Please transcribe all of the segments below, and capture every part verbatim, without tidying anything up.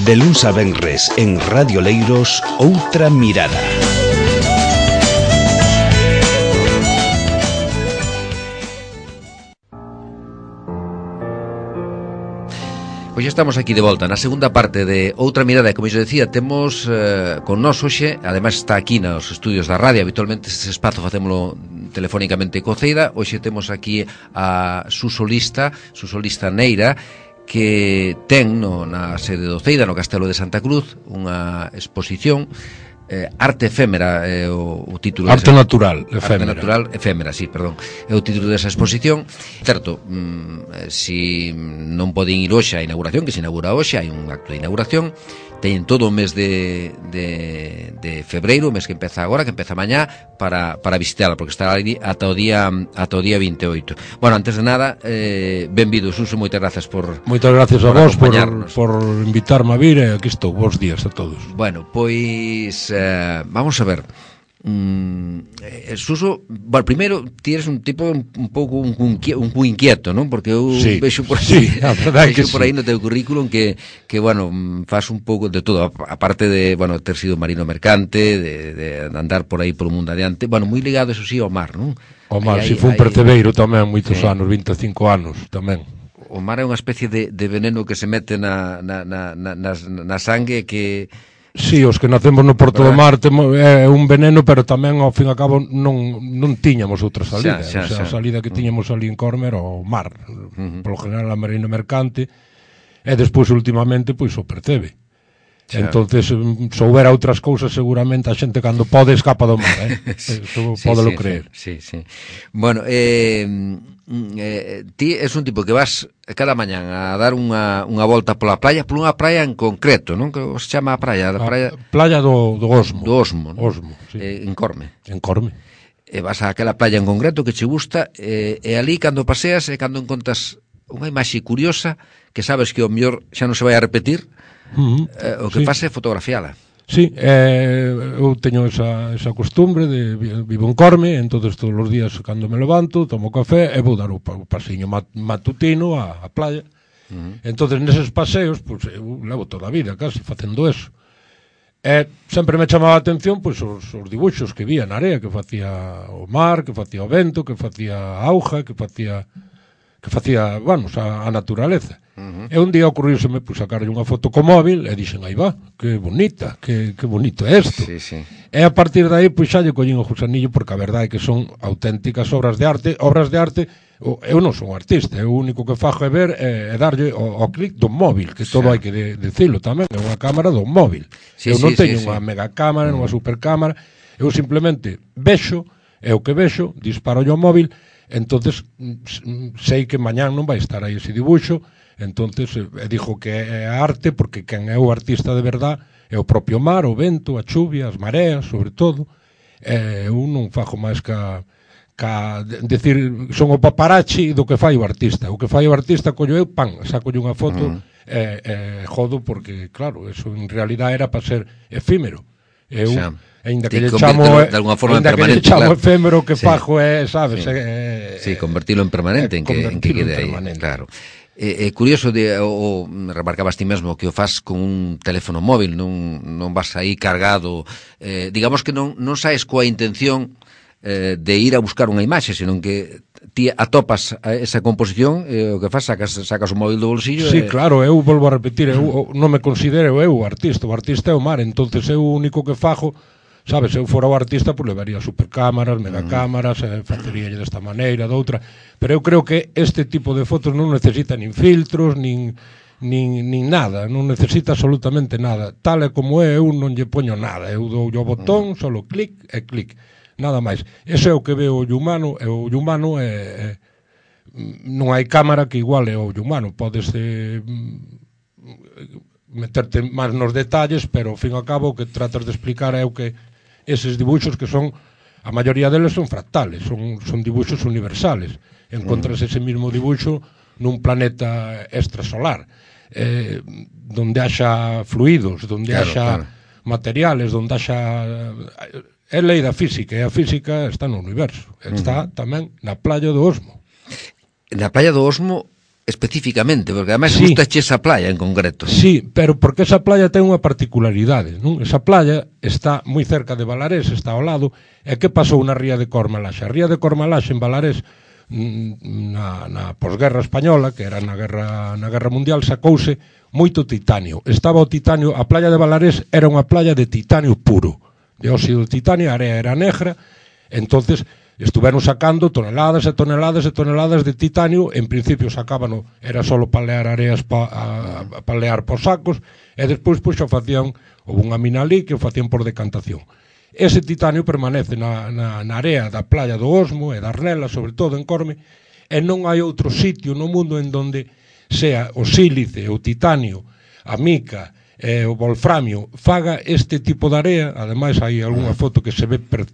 De luns a venres en Radio Leiros, Outra Mirada. Pois estamos aquí de volta na segunda parte de Outra Mirada, e como eu decía, temos eh, con nós hoxe, ademais está aquí nos estudios da radio, habitualmente este espazo facémolo telefónicamente co Ceida. Hoxe temos aquí a Suso Lista, Suso Lista Neira, que ten no, na sede do Ceida, no Castelo de Santa Cruz, unha exposición eh, Arte Efémera, é eh, o, o título Arte desa, Natural Efémera. Arte Natural Efémera, sí, perdón, é o título desa exposición. Certo, mm, si non poden ir hoxe á inauguración, que se inaugura hoxe, hai un acto de inauguración, teñen todo o mes de, de, de febreiro, o mes que empeza agora, que empeza mañá, para, para visitarla, porque estará ali ata o día ata o día vinte e oito. Bueno, antes de nada, eh, benvido, Suso, moitas grazas por Moitas gracias por a vos por, por invitarme a vir, e aquí estou, bons días a todos. Bueno, pois, eh, vamos a ver. Mm, eh, Suso, bueno, primeiro ti eres un tipo un, un pouco un, un, un inquieto, non? Porque eu sí, vexo por aí, sí, vexo por sí. aí no teu currículum que, que bueno, faz un pouco de todo, aparte de, bueno, ter sido marino mercante, de, de andar por aí polo mundo adiante, bueno, moi ligado, eso sí, ao mar, non? O mar, aí, si fue un aí, percebeiro tamén, moitos sí. anos, vinte e cinco anos tamén. O mar é unha especie de, de veneno que se mete na, na, na, na, na, na sangue que... Sí, os que nacemos no Porto do Mar temo, é un veneno, pero tamén ao fin e ao cabo non, non tiñamos outra salida, xa, xa, o sea, xa. A salida que tiñamos ali en Corme era o mar, uh-huh. Polo general a marina mercante, e despois últimamente pois o percebe. Xa. Entonces soubera outras cousas seguramente a xente cando pode escapa do mar, eh? Eso sí, pódelo sí, creer. Sí, sí. Bueno, eh, eh, ti és un tipo que vas cada mañán a dar unha, unha volta pola praia, por unha praia en concreto, non? Que se chama a praia, a praia... Playa do, do Osmo. Do Osmo, non? Osmo, sí. Eh, en Corme. En Corme. E vas a aquela playa en concreto que che gusta, e, e ali cando paseas e cando encontras unha imaxe curiosa que sabes que o mellor xa non se vai a repetir, uh-huh. eh, o que sí. faz é fotografiala. Sí, eh, eu teño esa, esa costumbre de vivo en Corme, entonces todos os días cando me levanto, tomo café e vou dar o, o paseiño mat, matutino á, á playa. Uh-huh. Entonces neses paseos, pues, eu levo toda a vida casi facendo eso. E sempre me chamaba a atención pois, os, os dibuixos que vía na area, que facía o mar, que facía o vento, que facía a auga, que facía que facía, bueno, a, a naturaleza. Uh-huh. E un día ocurriuseme pues, sacarlle unha foto co móvil e dixen, aí va, que bonita, que, que bonito é isto. Sí, sí. E a partir de aí, pois xa lle collín o gusanillo, porque a verdade é que son auténticas obras de arte, obras de arte, eu non son artista, eu o único que fajo é ver e, e darlle o, o clic do móvil, que todo hai que de, decilo tamén, é unha cámara do móvil. Sí, eu non sí, teño sí, unha sí. mega cámara, uh-huh. unha super cámara, eu simplemente vexo, é o que vexo, disparo ao móvil. Entonces sei que mañán non vai estar aí ese dibuixo, entonces eh, dixo que é arte porque quen é o artista de verdad é o propio mar, o vento, a chuvia, as mareas, sobre todo. Eh, eu non fajo máis ca, ca decir, son o paparazzi do que fai o artista. O que fai o artista collo eu, pan, saco unha foto e uh-huh. eh, eh, jodo porque, claro, eso en realidad era para ser efímero. Eu xa. Ainda que lle chamo de alguna forma ainda permanente, que lle chamo claro. efémero que sí. fajo é, sabes, sí. é, sí, convertilo en permanente, en que, en que quede aí, claro. É, é curioso de o, o remarcabas ti mesmo que o faz con un teléfono móvil, non non vas aí cargado, eh, digamos que non non saes coa intención eh, de ir a buscar unha imaxe, senón que ti atopas esa composición e eh, o que faz sacas sacas o móvil do bolsillo. Sí, e... claro, eu volvo a repetir, eu non me considero eu o artista, o artista é o mar, entonces eu o único que fajo, sabes, se eu fora o artista, pois levaría supercámaras, megacámaras, uh-huh. faceríalle desta maneira, doutra, pero eu creo que este tipo de fotos non necesita nin filtros, nin, nin, nin nada, non necesita absolutamente nada. Tal e como é, eu non lle poño nada, eu dou o botón, uh-huh. solo clic e clic, nada máis. Ese é o que veo o ollo humano, e o ollo humano é, é, non hai cámara que iguale ao ollo humano, podes eh, meterte máis nos detalles, pero ao fin e ao cabo o que tratas de explicar é o que eses dibuixos que son, a maioría deles son fractales, son, son dibuixos universales. Encontras ese mismo dibuixo nun planeta extrasolar, eh, donde haxa fluidos, donde claro, haxa claro. materiales, donde haxa... É lei da física, e a física está no universo, está uh-huh. tamén na playa do Osmo. Na playa do Osmo especificamente, porque además sí. gusta che esa playa en concreto. Sí, pero porque esa playa ten unha particularidade, non? Esa playa está moi cerca de Balarés, está ao lado, e que pasou na ría de Cormalaxe? A ría de Cormalaxe en Balarés, na, na posguerra española, que era na guerra, na guerra mundial, sacouse moito titanio. Estaba o titanio, a playa de Balarés era unha playa de titanio puro, de óxido de titanio, a area era negra, entonces estuveron sacando toneladas e toneladas e toneladas de titanio. En principio sacábano, era só palear areas pa, a, a palear por sacos, e despois pois xa facían, houve unha mina ali que o facían por decantación. Ese titanio permanece na, na, na area da playa do Osmo e da Arnela, sobre todo en Corme, e non hai outro sitio no mundo en donde sea o sílice, o titanio, a mica e o wolframio faga este tipo de area. Ademais hai algunha foto que se ve per,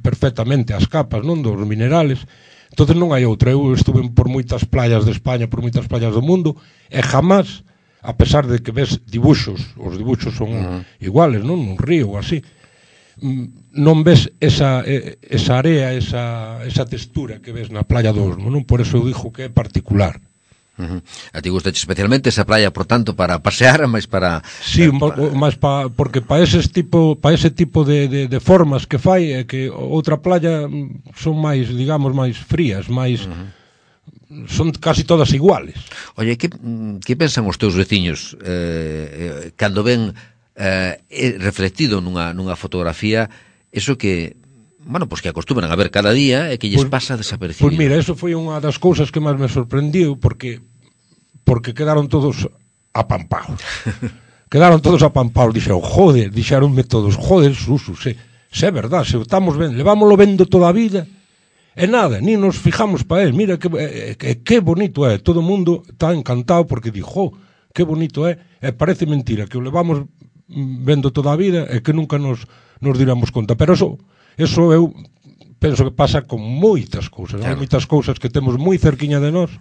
perfectamente as capas, non, dos minerales. Entonces non hai outra. Eu estuve por moitas playas de España, por moitas playas do mundo, e jamás, a pesar de que ves dibuxos, os dibuxos son uh-huh. iguales, non, nun río ou así, non ves esa, esa area, esa, esa textura que ves na playa do Osmo, non? Por eso eu dixo que é particular. Uh-huh. A ti gusta especialmente esa playa, por tanto, para pasear, máis para... Sí, eh, pa... máis pa, porque para ese tipo, para ese tipo de, de, de formas que fai, é que outra playa son máis, digamos, máis frías, máis... Uh-huh. Son casi todas iguales. Oye, que, que pensan os teus veciños eh, eh, cando ven eh, reflectido nunha, nunha fotografía eso que, bueno, pois pues que acostumbran a ver cada día e que lles pues, pasa desapercibido? Pois pues mira, eso foi unha das cousas que máis me sorprendiu, porque porque quedaron todos apampados. Quedaron todos apampados, dixeron, joder, dixeronme todos, joder, Suso, se, se é verdad, se estamos vendo, levámoslo vendo toda a vida, e nada, ni nos fijamos para él, mira que, que, que bonito é, todo o mundo está encantado porque dixo, que bonito é, e parece mentira que o levamos vendo toda a vida e que nunca nos, nos diramos conta, pero eso, eso eu penso que pasa con moitas cousas, claro. Hai moitas cousas que temos moi cerquiña de nós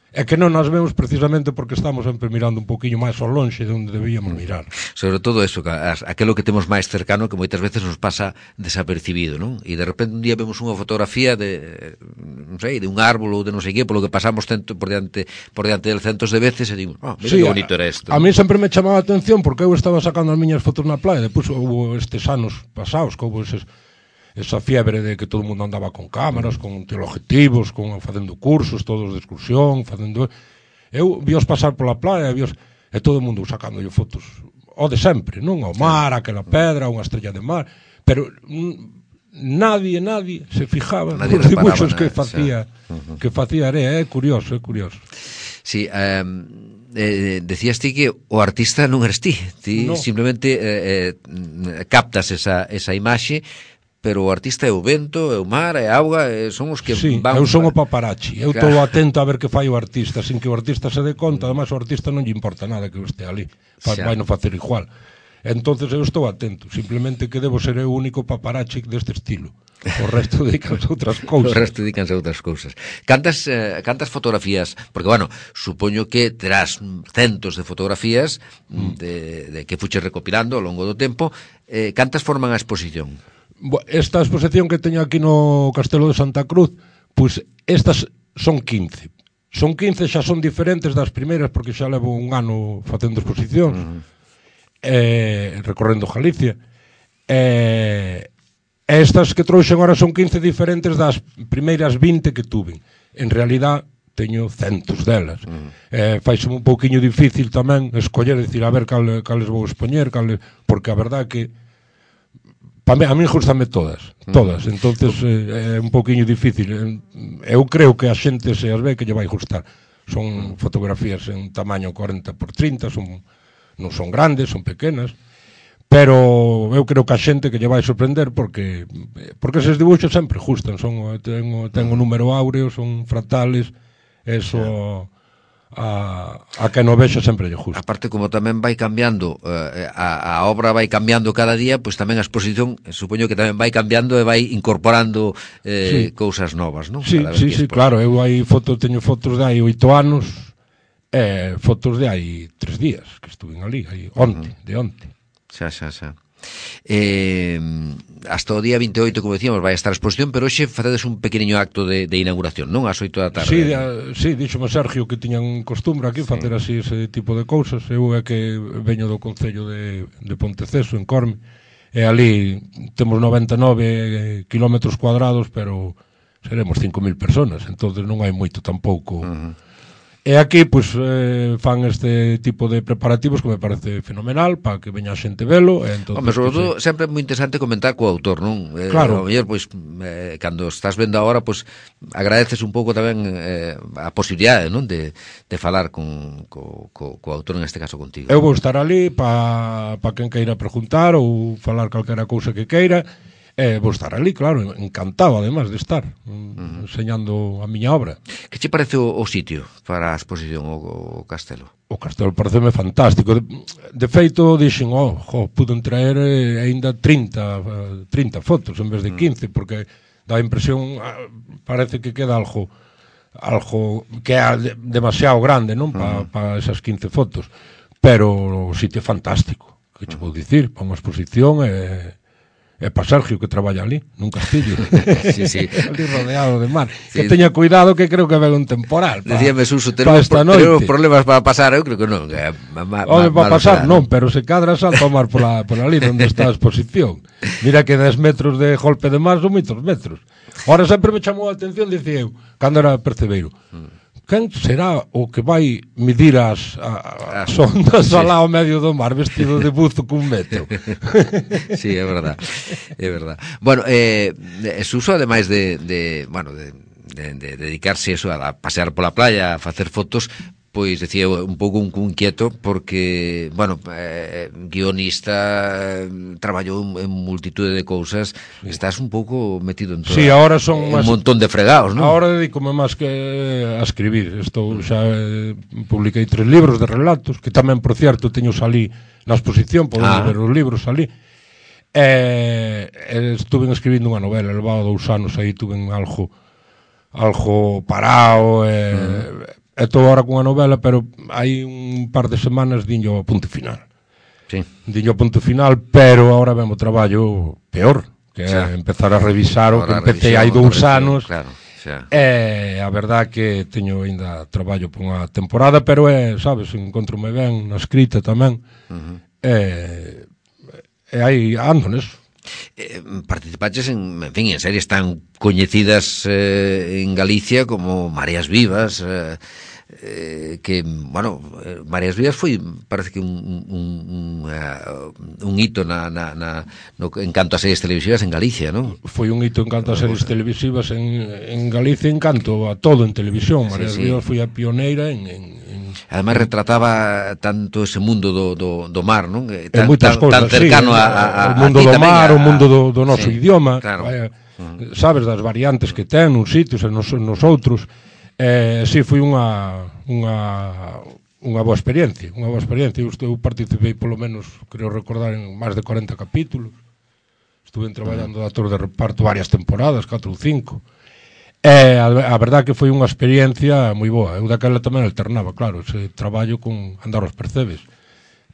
e que non nas vemos precisamente porque estamos sempre mirando un poquinho máis ao lonxe de onde debíamos mirar. Sobre todo eso, aquilo que temos máis cercano que moitas veces nos pasa desapercibido, non? E de repente un día vemos unha fotografía de, non sei, de un árbol ou de non sei que, polo que pasamos cento, por diante por diante del centos de veces e digo, oh, mira sí, que bonito era isto. A, a mí sempre me chamaba a atención porque eu estaba sacando as miñas fotos na playa, depois houve estes anos pasados que houve eses esa fiebre de que todo o mundo andaba con cámaras, con teleobjetivos, con facendo cursos, todos de excursión, facendo... Eu víos pasar pola playa, víos... e todo o mundo sacando fotos, o de sempre, non? Ao mar, aquela pedra, unha estrella de mar, pero nadie, nadie se fijaba nos dibuixos que facía, uh-huh. que facía area, é curioso, é curioso. Sí, eh... Eh, decías ti que o artista non eres ti, ti no. simplemente eh, eh, captas esa, esa imaxe, pero o artista é o vento, é o mar, é a auga, é, son os que sí, van... eu son o paparazzi, eu estou atento a ver que fai o artista, sin que o artista se dé conta, además o artista non lle importa nada que eu este ali, vai non facer igual. Entonces eu estou atento, simplemente que debo ser eu o único paparazzi deste estilo. O resto dedicanse a outras cousas. O resto dedicanse a outras cousas. Cantas, eh, cantas fotografías, porque, bueno, supoño que terás centos de fotografías mm. de, de que fuches recopilando ao longo do tempo, eh, cantas forman a exposición? Esta exposición que teño aquí no Castelo de Santa Cruz, pois estas son quince. Son quince, xa son diferentes das primeiras, porque xa levo un ano facendo exposicións, uh-huh. eh, recorrendo Galicia. Eh, estas que trouxen agora son quince diferentes das primeiras vinte que tuve. En realidad, teño centos delas. Uh-huh. Eh, faiseme un pouquiño difícil tamén escoller, decir, a ver cal, cales vou expoñer, cales, porque a verdad que a mí, a mí gustame todas, todas, mm. entonces eh, é un pouquiño difícil. Eu creo que a xente se as ve que lle vai gustar. Son fotografías en tamaño corenta por trinta, son, non son grandes, son pequenas, pero eu creo que a xente que lle vai sorprender porque porque eses dibuixos sempre gustan, son ten, ten un número áureo, son fractales, eso... A, a que no vexo sempre lle justo. Aparte, como tamén vai cambiando eh, a, a obra vai cambiando cada día, pois tamén a exposición supoño que tamén vai cambiando e vai incorporando eh, sí. cousas novas, non? Sí, sí, sí, claro, eu hai fotos, teño fotos de hai oito anos e fotos de hai tres días que estuven ali, aí onte, uh-huh. de onte. Xa, xa, xa. Eh, hasta o día vinte e oito, como decíamos, vai estar a exposición, pero hoxe facedes un pequeniño acto de, de inauguración, non? Ás oito da tarde. Sí, de, sí, díxome Sergio que tiñan costumbre aquí sí. facer así ese tipo de cousas. Eu é que veño do Concello de, de Ponteceso, en Corme, e ali temos noventa e nove kilómetros cuadrados, pero seremos cinco mil personas, entonces non hai moito tampouco. Uh-huh. E aquí, pois, eh, fan este tipo de preparativos que me parece fenomenal para que veña a xente velo. E entonces, Home, sobre todo, pues, sempre é moi interesante comentar co autor, non? Eh, claro. A mellor, pois, eh, cando estás vendo agora, pois, agradeces un pouco tamén eh, a posibilidade, non? De, de falar con, co, co, co autor, en este caso contigo. Eu vou estar ali para pa quen queira preguntar ou falar calquera cousa que queira. Eh, vou estar ali, claro, encantado, además, de estar uh-huh. enseñando a miña obra. Que che parece o, o sitio para a exposición, o, o castelo? O castelo pareceme fantástico. De, de feito, dixen, oh, jo, puden traer eh, ainda trinta, trinta fotos en vez de quince, uh-huh. porque dá a impresión, parece que queda algo, algo que é de, demasiado grande, non? Para uh-huh. pa esas quince fotos. Pero o sitio é fantástico, que che vou dicir, para unha exposición é... É para Sergio que traballa ali, nun castillo. Sí, sí. Ali rodeado de mar. Sí. Que teña cuidado que creo que ven un temporal. Decíame Suso, tenemos, pro, tenemos problemas para pasar, eu creo que non. Que ma, ma, Ode, para pasar non, pero se cadra salta o mar por, la, por ali onde está a exposición. Mira que dez metros de golpe de mar son moitos metros. Ahora sempre me chamou a atención, dicía eu, cando era percebeiro. Mm. Quen será o que vai medir as, a, as ondas sí. alá ao medio do mar vestido de buzo cun metro? Sí, é verdad, é verdad. Bueno, eh, Suso, ademais de, de, bueno, de, de, de dedicarse eso, a pasear pola playa, a facer fotos, pois decía un pouco un, un quieto porque, bueno, eh, guionista, eh, traballou en multitude de cousas, sí. Estás un pouco metido en todo. Sí, ahora son un más, montón de fregados, non? Ahora dedícome máis que a escribir. Estou xa eh, publiquei tres libros de relatos, que tamén, por cierto, teño salí na exposición, podemos ah. ver os libros salí. Eh, estuve escribindo unha novela, levaba dous anos aí, tuve algo algo parado, eh, mm. Estou agora cunha novela, pero hai un par de semanas diño o punto final. Sí. Diño o punto final, pero agora vemos o traballo peor, que é empezar a revisar o que empecé hai dous anos. Claro, xa. E a verdad que teño ainda traballo por unha temporada, pero é, sabes, encontrome ben na escrita tamén. Uh-huh. E, e aí ando neso. Eh, participaches en, en fin, en series tan coñecidas eh, en Galicia como Mareas Vivas, eh, eh, que, bueno, eh, Mareas Vivas foi, parece que un, un, un, uh, un hito na, na, na, no, en canto a series televisivas en Galicia, non? Foi un hito en canto a series televisivas en, en Galicia, en canto a todo en televisión. Mareas sí, sí. Vivas foi a pioneira en, en, en... Además retrataba tanto ese mundo do, do, do mar, non? Tan, tan, cosas, tan cercano sí, a, a, o mundo a do mar, a... o mundo do, do noso sí, idioma, claro. Vaya, uh-huh. Sabes das variantes que ten uns sitios e nos, nos outros. Eh, si, foi unha unha unha boa experiencia, unha boa experiencia. Eu, eu participei polo menos, creo recordar, en máis de corenta capítulos. Estuve traballando de actor de reparto varias temporadas, catro ou cinco. Eh, a, a verdad que foi unha experiencia moi boa. Eu daquela tamén alternaba, claro, ese traballo con andar aos percebes.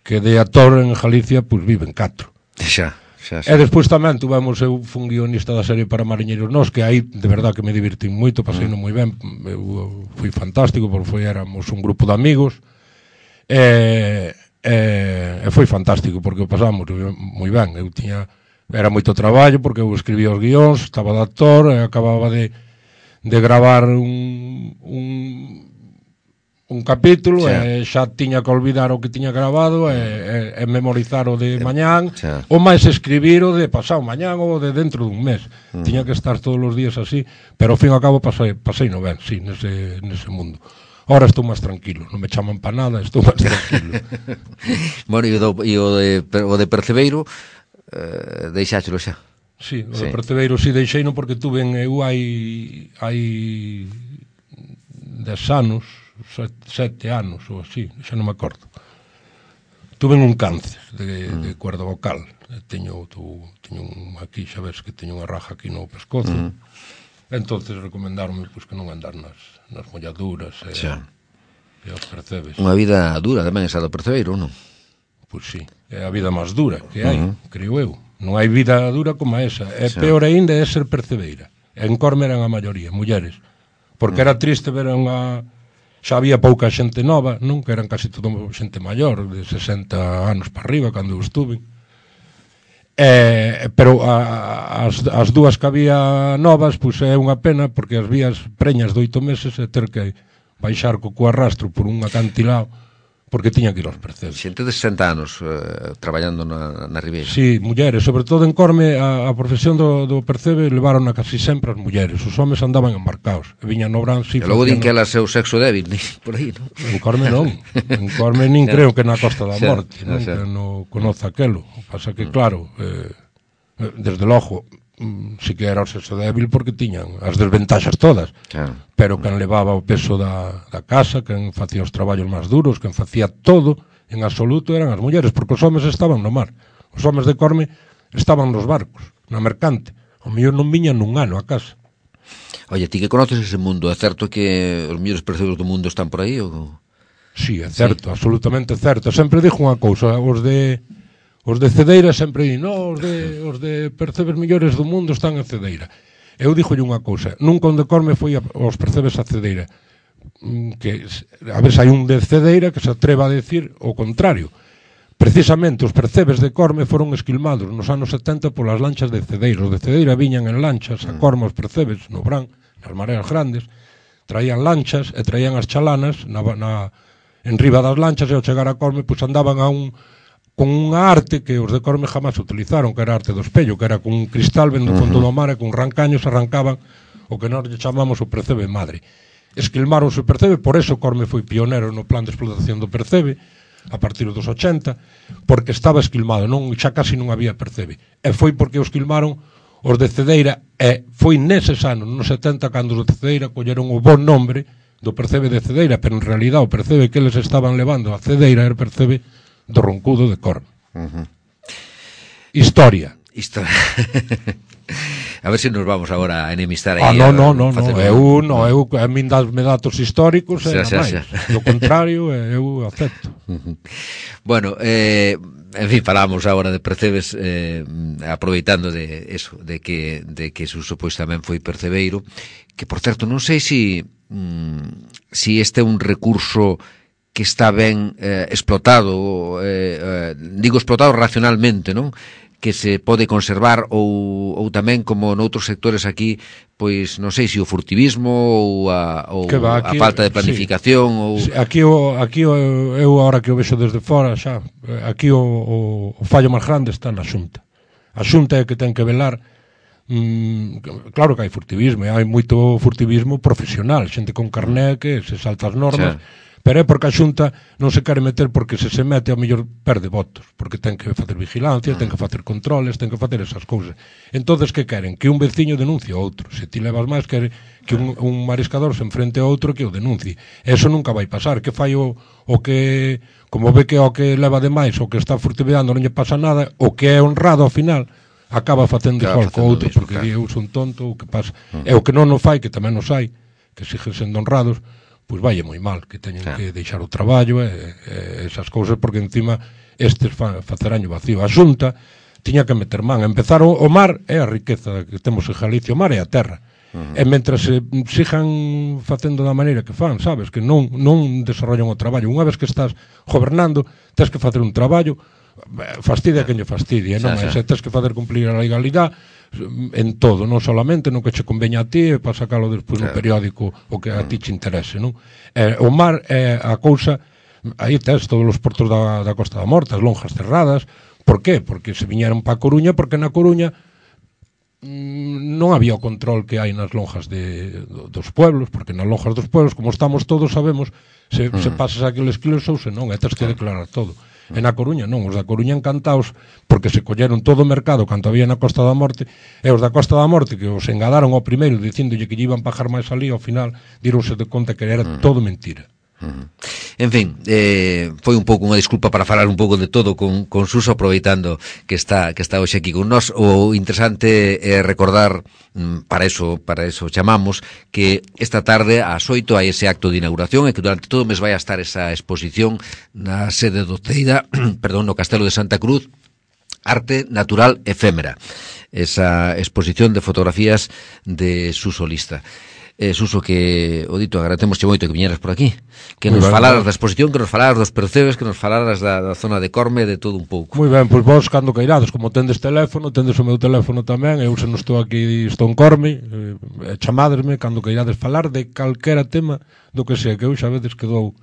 Que de actor en Galicia, pois viven catro. Xa. Xa, xa. E despois tamén tuvemos, eu fui un guionista da serie para Mariñeiros Nós, que aí de verdad que me divertí moito, pasei mm. moi ben, eu, fui fantástico, porque foi, éramos un grupo de amigos, e, e, e foi fantástico, porque o pasamos moi ben. Eu tiña, era moito traballo, porque eu escribía os guións, estaba de actor, e acababa de, de gravar un... un un capítulo xa. E xa tiña que olvidar o que tiña grabado e, e, e memorizar o de mañán xa. Ou máis escribir o de pasado mañán ou de dentro dun mes. Mm. Tiña que estar todos os días así, pero ao fin e ao cabo pasei, pasei no ben, sí, nese, nese mundo. Ahora estou máis tranquilo, non me chaman pa nada, estou máis tranquilo. Bueno, e o, do, e o, de, o de Percebeiro eh, deixáchelo xa? Sí, o sí. de Percebeiro si sí, deixei non porque tuve en eu hai hai dez anos Sete, sete anos ou así, xa non me acordo. Tuve un cáncer de, mm. de cuerda vocal. Teño, tu, teño un, aquí, xa ves que teño unha raja aquí no pescozo. Mm. Entonces recomendaronme pues, que non andar nas, nas molladuras e, e os percebes. Unha vida dura tamén esa do Percebeiro, non? pois sí, é a vida máis dura que hai, uh -huh. creo eu. Non hai vida dura como esa. É sí. Peor aínda é ser percebeira. En Corme eran a maioría, mulleres. Porque uh -huh. era triste ver unha... Xa había pouca xente nova, non? Que eran casi todo xente maior, de sesenta anos para arriba, cando eu estuve. Eh, pero a, as, as dúas que había novas, pois é unha pena, porque as vías preñas de oito meses e ter que baixar co cuarrastro por un acantilado, porque tiña que ir aos percebes. Xente de sesenta anos eh, traballando na, na Ribeira. Sí, mulleres, sobre todo en Corme, a, a profesión do, do percebe levaron a casi sempre as mulleres. Os homes andaban embarcados, e viñan no Bransi. E logo din que elas é o sexo débil, por aí, non? En Corme non. En Corme nin creo que na Costa da Morte, non? Que non conoce aquelo. Pasa que, claro, eh, desde logo, si que era o sexo débil porque tiñan as desventaxas todas, claro. Pero quen levaba o peso da, da casa, quen facía os traballos máis duros, quen facía todo, en absoluto eran as mulleres, porque os homes estaban no mar. Os homes de Corme estaban nos barcos, na mercante. O mellor non viñan nun ano a casa. Oye, ti que conoces ese mundo, é certo que os mellores percebes do mundo están por aí? Ou... Sí, é certo, sí. Absolutamente certo. Sempre dixo unha cousa, os de... Os de Cedeira sempre di, no, os de, os de percebes millores do mundo están en Cedeira. Eu dixolle unha cousa, nunca onde Corme foi a, os percebes a Cedeira. Que, a ver se hai un de Cedeira que se atreva a decir o contrario. Precisamente os percebes de Corme foron esquilmados nos anos setenta polas lanchas de Cedeira. Os de Cedeira viñan en lanchas a Corme os percebes, no Brán, nas mareas grandes, traían lanchas e traían as chalanas na, na, en riba das lanchas, e ao chegar a Corme pois andaban a un... con unha arte que os de Corme jamás utilizaron, que era a arte do espello, que era con un cristal vendo o fondo do mar e con rancaños arrancaban o que nós lle chamamos o percebe madre. Esquilmaronse o percebe, por eso Corme foi pionero no plan de explotación do percebe a partir dos ochenta, porque estaba esquilmado, non, xa casi non había percebe. E foi porque o esquilmaron os de Cedeira, e foi neses anos, nos setenta, cando os de Cedeira colleron o bon nombre do percebe de Cedeira, pero en realidad o percebe que eles estaban levando a Cedeira era o percebe do Roncudo de Corme. Uh -huh. Historia. Historia. A ver se nos vamos agora a enemistar aí. Ah, no, no, no, no. Eu, no, eu, a min dasme datos históricos, e xa, xa, xa. Do contrario, eu acepto. Uh -huh. Bueno, eh, en fin, falamos agora de percebes, eh, aproveitando de eso, de que, de que Suso pois tamén foi percebeiro, que, por certo, non sei si, mm, si este é un recurso que está ben eh, explotado, eh, eh, digo explotado racionalmente, non? Que se pode conservar, ou, ou tamén, como noutros sectores aquí, pois non sei se o furtivismo ou a, ou va, aquí, a falta de planificación, sí. Ou... Sí, aquí, o, aquí o, eu agora que o vexo desde fora xa, aquí o, o, o fallo máis grande está na Xunta. A Xunta é que ten que velar. Mm, claro que hai furtivismo, hai moito furtivismo profesional, xente con carné que se salta as normas, sí. Pero é porque a Xunta non se quere meter, porque se se mete ao mellor perde votos, porque ten que facer vigilancia, ten que facer controles, ten que facer esas cousas. Entonces, que queren? Que un veciño denuncie a outro. Se ti levas máis, quere que un, un mariscador se enfrente a outro que o denuncie. Eso nunca vai pasar. Que fai o, o que, como ve que o que leva de máis, o que está furtiveando non lle pasa nada, o que é honrado ao final acaba facendo igual co outro, porque claro. Eu son tonto, o que pasa. Uh -huh. E o que non o fai, que tamén os hai, que siguen sendo honrados, pois vai moi mal, que teñen claro. Que deixar o traballo e, e esas cousas, porque encima estes fa, faceraño vacío. A Xunta tiña que meter man. Empezar o, o mar é a riqueza que temos en Galicia, o mar é a terra. Uh -huh. E mentras se sigan facendo da maneira que fan, sabes, que non, non desarrollan o traballo. Unha vez que estás gobernando, tens que facer un traballo, fastidia quen lle fastidia, non? E se tens que facer cumplir a legalidade en todo, non solamente no que che conveña a ti, e para sacalo despois no periódico o que a ti che interese, non? Eh, o mar é a cousa, aí tes todos os portos da, da Costa da Morte, as lonjas cerradas. Por qué? Porque se viñeron para a Coruña, porque na Coruña mm, non había o control que hai nas lonjas de, dos pueblos, porque nas lonjas dos pueblos, como estamos todos sabemos, se, mm. se pasas aqueles kilos ou se non, e tens que declarar todo. E na Coruña non, os da Coruña encantados, porque se colleron todo o mercado canto había na Costa da Morte, e os da Costa da Morte que os engadaron ao primeiro dicíndolle que lle iban pagar máis ali, ao final díronse de conta que era todo mentira. Uh-huh. En fin, eh, foi un pouco unha disculpa para falar un pouco de todo con, con Suso, aproveitando que está que está hoxe aquí con nós. O interesante é recordar, para eso para eso chamamos, que esta tarde ás oito hai ese acto de inauguración e que durante todo o mes vai a estar esa exposición na sede do Ceida, perdón, no Castelo de Santa Cruz, Arte Natural Efémera, esa exposición de fotografías de Suso Lista. Eh, Suso, que, o dito, agradecemosche moito que viñeras por aquí, que nos falaras da exposición, que nos falaras dos percebes, que nos falaras da, da zona de Corme, de todo un pouco. Moi ben, pois vos cando cairades, como tendes teléfono, tendes o meu teléfono tamén, eu se non estou aquí, estou en Corme, eh, chamadesme cando cairades falar de calquera tema do que sea, que eu xa veces que dou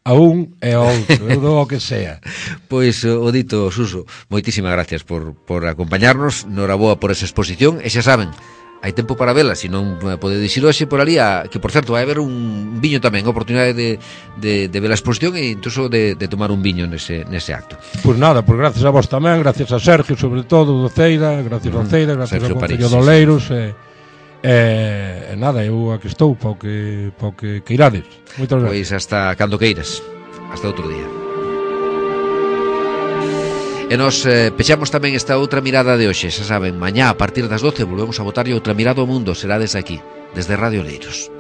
a un e a outro, eu dou o que sea. Pois, o dito, Suso, moitísimas gracias por, por acompañarnos, noraboa por esa exposición, e xa saben, hai tempo para vela, se non podedes ir hoxe por ali, a, que por certo vai haber un viño tamén, a oportunidade de, de, de ver a exposición e incluso de, de tomar un viño nese, nese acto. Pois nada, pois gracias a vos tamén, gracias a Sergio sobre todo, do Ceida, gracias mm, ao Ceida, gracias ao Concello de Oleiros, e, e, e nada, eu aquí estou para o que, para o que queirades. Moitas gracias. Pois hasta cando queiras, hasta outro día. E nos eh, pechamos tamén esta outra mirada de hoxe. Xa saben, mañá a partir das doce volvemos a botarlle outra mirada ao mundo. Será desde aquí, desde Radio Oleiros.